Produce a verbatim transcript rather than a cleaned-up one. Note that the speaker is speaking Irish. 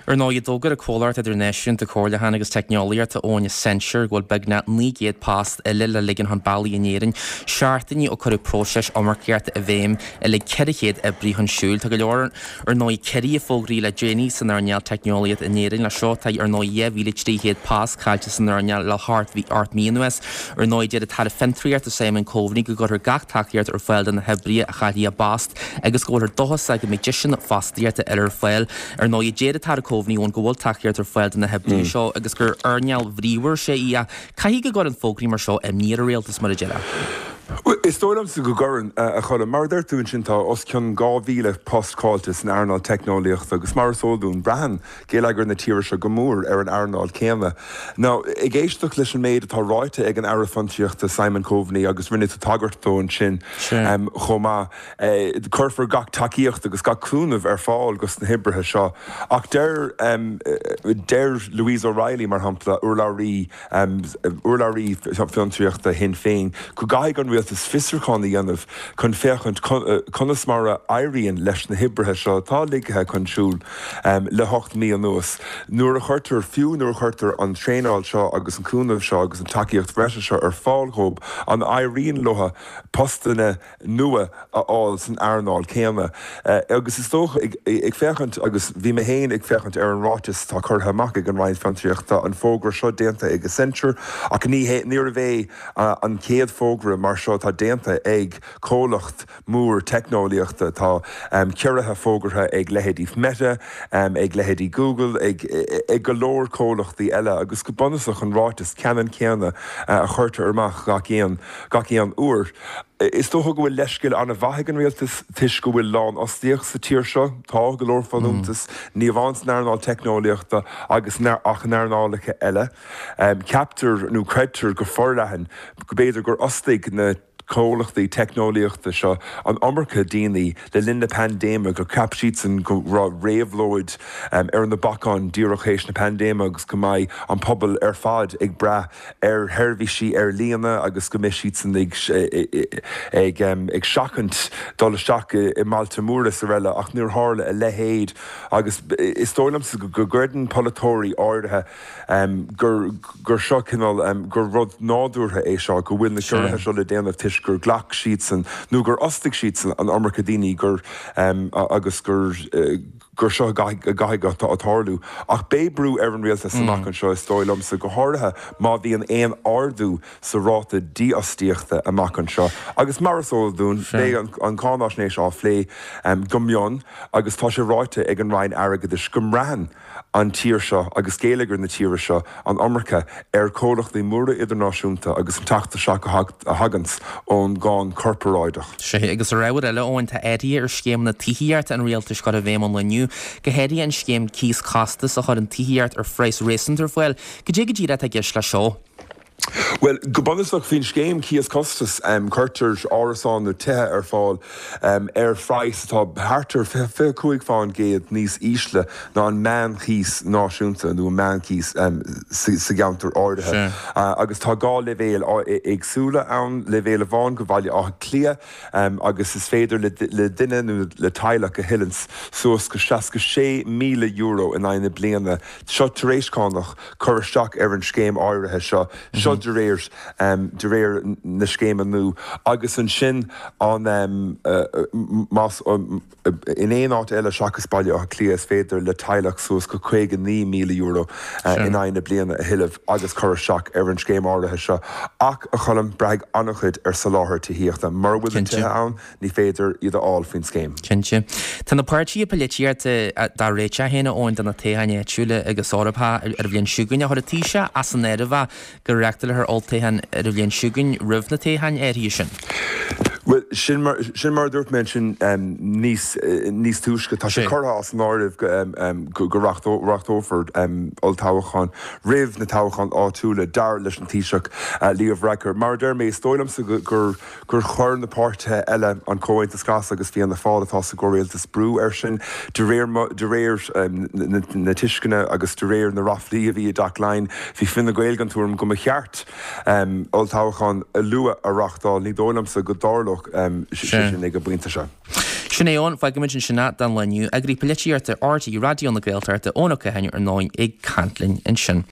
Ar ndóigh, d'fhógair an comhlacht idirnáisiúnta comhairliúcháin agus teicneolaíochta Eoin Accenture go bhfuil beagnach naoi gcéad post eile le ligean chun bealaigh in Éirinn, seachtainí ó cuireadh próiseas iomarcaíochta i bhfeidhm a lig ceithre chéad oibrí chun siúil. Tá go leor ar ndóigh ciorruithe fógraithe le déanaí san earnáil teicneolaíochta in Éirinn. Leis seo tá ar ndóigh dhá mhíle trí chéad post caillte san earnáil le hocht mí anuas. Ar ndóigh deir an tAire Fiontraíochta Simon Coveney go gcuirfear gach tacaíocht ar fáil do na hoibrithe a chaillfidh a bpost agus go bhfuiltear dóchasach go mbeidh deiseanna fostaíochta eile ar fáil. Ar ndóigh deir an tAire Coveney go bhfuil tacaíocht ar fáil do na hoibrithe seo agus gur earnáil bhríomhar is ea í ach caithfidh go gcuireann fógraí mar seo imní ar an rialtas mar a deir. Is dóigh liomsa go gcuireann a Choilm. Mar a deir tú ansin tá os cionn dhá mhíle post caillte san earnáil teicneolaíochta agus mar is eol dúinn braitheann geilleagar na tíre seo go mór ar an earnáil céanna. Now ag éisteacht leis an méid atá ráite ag an Aire Fiontraíochta Simon Coveney agus rinne tú tagairt dó ansin chomh maith, cuirfear gach tacaíocht agus gach cúnamh ar fáil dos na hoibrithe seo. Ach deir deir Louise O'Reilly mar shampla urlabhraí urlabhraí fiontraíochta Shinn Féin go gcaithfidh an rialtas fiosrúchán a dhéanamh chun féachaint conas mar a éiríonn leis na hoibrithe seo atá ligthe chun siúil le hocht mí anuas. Nuair a chuirtear fiú nuair a chuirtear an traenáil seo agus an cúnamh seo agus an tacaíocht bhreise seo ar fáil dóibh an éiríonn leo postanna nua a fháil san earnáil céanna. Agus is dócha ag féachaint agus bhí mé féin ag féachaint ar an ráiteas atá curtha amach ag an Roinn Fiontraíochta an fógra seo déanta ag Accenture ach ní níorbh é an chéad fógra mar seo atá déanta ag comhlacht mór teicneolaíochta tá ciorruithe fógartha ag leithéidí Meta, ag leithéidí Google, ag ag go leor comhlachtaí eile agus go bunúsach an ráiteas ceannann céanna a chuirtear amach gach aon gach aon uair. Is dócha go bhfuil leithscéal an-mhaith ag an rialtas toisc go bhfuil lánfhostaíocht sa tír seo, tá go leor folúntas, ní amháin san earnáil teicneolaíochta agus ach in earnálacha eile. Ceaptar nó creidtear go forleathan go b'fhéidir gur fhostaigh na comhlachtaí teicneolaíochta seo an iomarca daoine le linn na paindéime gur cheap siadsan go raibh réabhlóid ar na bacáin díreach théis na paindéime agus go mbeidh an pobal ar fad ag brath ar sheirbhísí ar líne agus go mbeidh siadsan ag ag ag seachaint dul isteach i mbailte móra is araile ach níor tharla a leithéid agus is dóigh liomsa go gcreideann polaiteoirí áirithe gur gur seo cineál gur rud nádúrtha é seo go bhfuil na ciorruithe seo le déanamh toisc gur ghlac siadsan nó gur fhostaigh siadsan an iomarca daoine gur agus gur gur seo a gcaithfidh a tarlú. Ach beidh brú ar an rialtas amach anseo is dóigh liomsa go háirithe má bhíonn aon ardú sa ráta dífhostaíochta amach anseo. Agus mar is eol dúinn beidh an cháinaisnéis á phlé go mion agus tá sé ráite ag an Roinn Airgeadais go mbraitheann an tír seo agus geilleagar na tíre seo an iomarca ar chomhlachtaí móra idirnáisiúnta agus an teacht isteach a thagann ón gcáin chorparáideach. Sea, agus ar ábhar eile Eoin, tá athruithe ar scéimeanna tithíochta an rialtais curtha i bhfeidhm ón lá inniu, go háirithe an scéim cíos costas a chuireann tithíocht ar phraghas réasúnta ar fáil. Cad é go díreach atá i gceist leis seo? Well, go bunúsach faoin scéim cíos costas cuirtear árasáin nó tithe ar fáil ar phraghas atá thart ar fiche cúig faoin gcéad níos ísle ná an meánchíos náisiúnta nó an meánchíos sa gceantar áirithe. Agus tá dhá leibhéal éagsúla ann, leibhéal amháin go Bhaile Átha Cliath agus is féidir le duine nó le teaghlach a thuilleann suas go seasca sé míle euro in aghaidh na bliana seo tar éis cánach cur isteach ar an scéim áirithe seo seo de réir de réir na scéime nua agus ansin an más in aon áit eile seachas Baile Átha Cliath is féidir le teaghlach suas go caoga naoi míle euro in aghaidh na bliana a thuilleamh agus cur isteach ar an scéim áirithe seo ach a Choilm braithfidh an-chuid ar soláthar tithíochta mura bhfuil na tithe ann ní féidir iad a fháil faoin scéim. Cinnte. Tá na páirtithe polaitíochta dá réiteach féin a Eoin do na toghcháin áitiúla agus Eorpacha ar an bhliain seo chugainn. Chuir an Taoiseach as an áireamh go reáchtálfar olltoghchán ar an bhliain seo chugainn roimh na toghcháin áirithe sin. Bhuel, sin mar, sin mar a dúirt mé ansin níos, níos túisce, tá sé curtha as an áireamh go, go reachtófar olltoghchán roimh na toghcháin áitiúla, dar leis an Taoiseach Leo Varadkar. Mar a deir mé, is dóigh liomsa gur, gur chuir na páirtithe eile, an Comhaontas Glas agus Fianna Fáil atá sa gcomhrialtas, brú air sin de réir, de réir na tuisceana agus de réir na ráflaí a bhí i dTeach Laighean. Bhí Fine Gael den tuairim go mba cheart olltoghchán luath a reáchtáil. Ní dóigh liomsa go dtarlódh sé sin ag an bpointe seo. Sin é Eoin, fágfaimid ansin é don lá inniu. Eagraí Polaitíochta R T É Raidió na Gaeltachta, Eoin Ó Catháin ar ndóigh ag caint linn ansin.